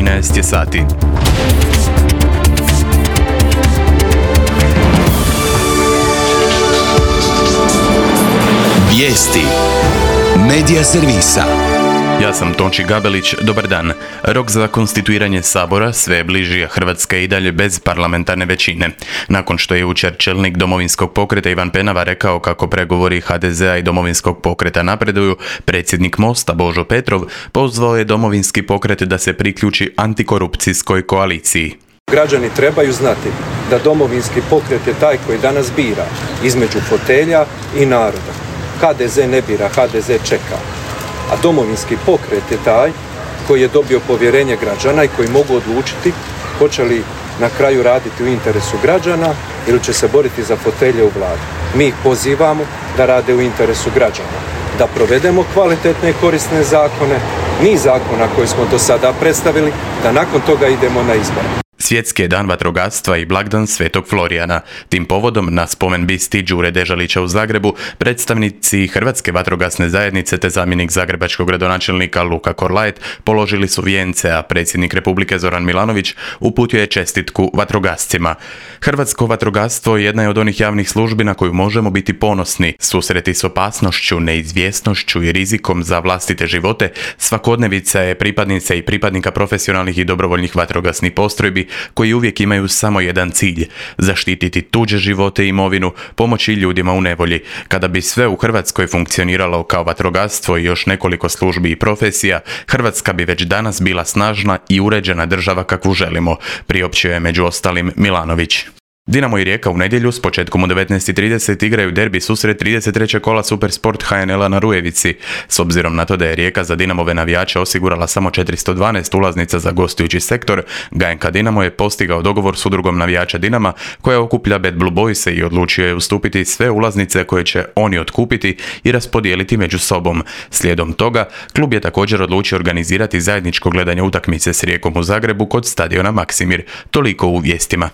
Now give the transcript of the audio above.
13 je sati. Vijesti Medija servisa. Ja sam Tonči Gabelić, dobar dan. Rok za konstituiranje Sabora sve je bliži, a Hrvatska je i dalje bez parlamentarne većine. Nakon što je jučer čelnik Domovinskog pokreta Ivan Penava rekao kako pregovori HDZ-a i Domovinskog pokreta napreduju, predsjednik Mosta Božo Petrov pozvao je Domovinski pokret da se priključi antikorupcijskoj koaliciji. Građani trebaju znati da Domovinski pokret je taj koji danas bira između fotelja i naroda. HDZ ne bira, HDZ čeka. A Domovinski pokret je taj koji je dobio povjerenje građana i koji mogu odlučiti hoće li na kraju raditi u interesu građana ili će se boriti za fotelje u vladi. Mi ih pozivamo da rade u interesu građana, da provedemo kvalitetne i korisne zakone, niz zakona koje smo do sada predstavili, da nakon toga idemo na izbore. Svjetski je dan vatrogastva i blagdan Svetog Florijana. Tim povodom na spomen bisti Đure Dežalića u Zagrebu predstavnici Hrvatske vatrogasne zajednice te zamjenik zagrebačkog gradonačelnika Luka Korlaet položili su vijence, a predsjednik Republike Zoran Milanović uputio je čestitku vatrogascima. Hrvatsko vatrogastvo jedna je od onih javnih službi na koju možemo biti ponosni. Susreti s opasnošću, neizvjesnošću i rizikom za vlastite živote svakodnevica je pripadnica i pripadnika profesionalnih i dobrovoljnih vatrogasnih postrojbi koji uvijek imaju samo jedan cilj: zaštititi tuđe živote i imovinu, pomoći ljudima u nevolji. Kada bi sve u Hrvatskoj funkcioniralo kao vatrogastvo i još nekoliko službi i profesija, Hrvatska bi već danas bila snažna i uređena država kakvu želimo, priopćio je među ostalim Milanović. Dinamo i Rijeka u nedjelju s početkom u 19:30 igraju derbi susret 33. kola Supersport HNL-a na Rujevici. S obzirom na to da je Rijeka za Dinamove navijače osigurala samo 412 ulaznica za gostujući sektor, GNK Dinamo je postigao dogovor s udrugom navijača Dinama koja okuplja Bad Blue Boyse i odlučio je ustupiti sve ulaznice koje će oni otkupiti i raspodijeliti među sobom. Slijedom toga, klub je također odlučio organizirati zajedničko gledanje utakmice s Rijekom u Zagrebu kod stadiona Maksimir. Toliko u vijestima.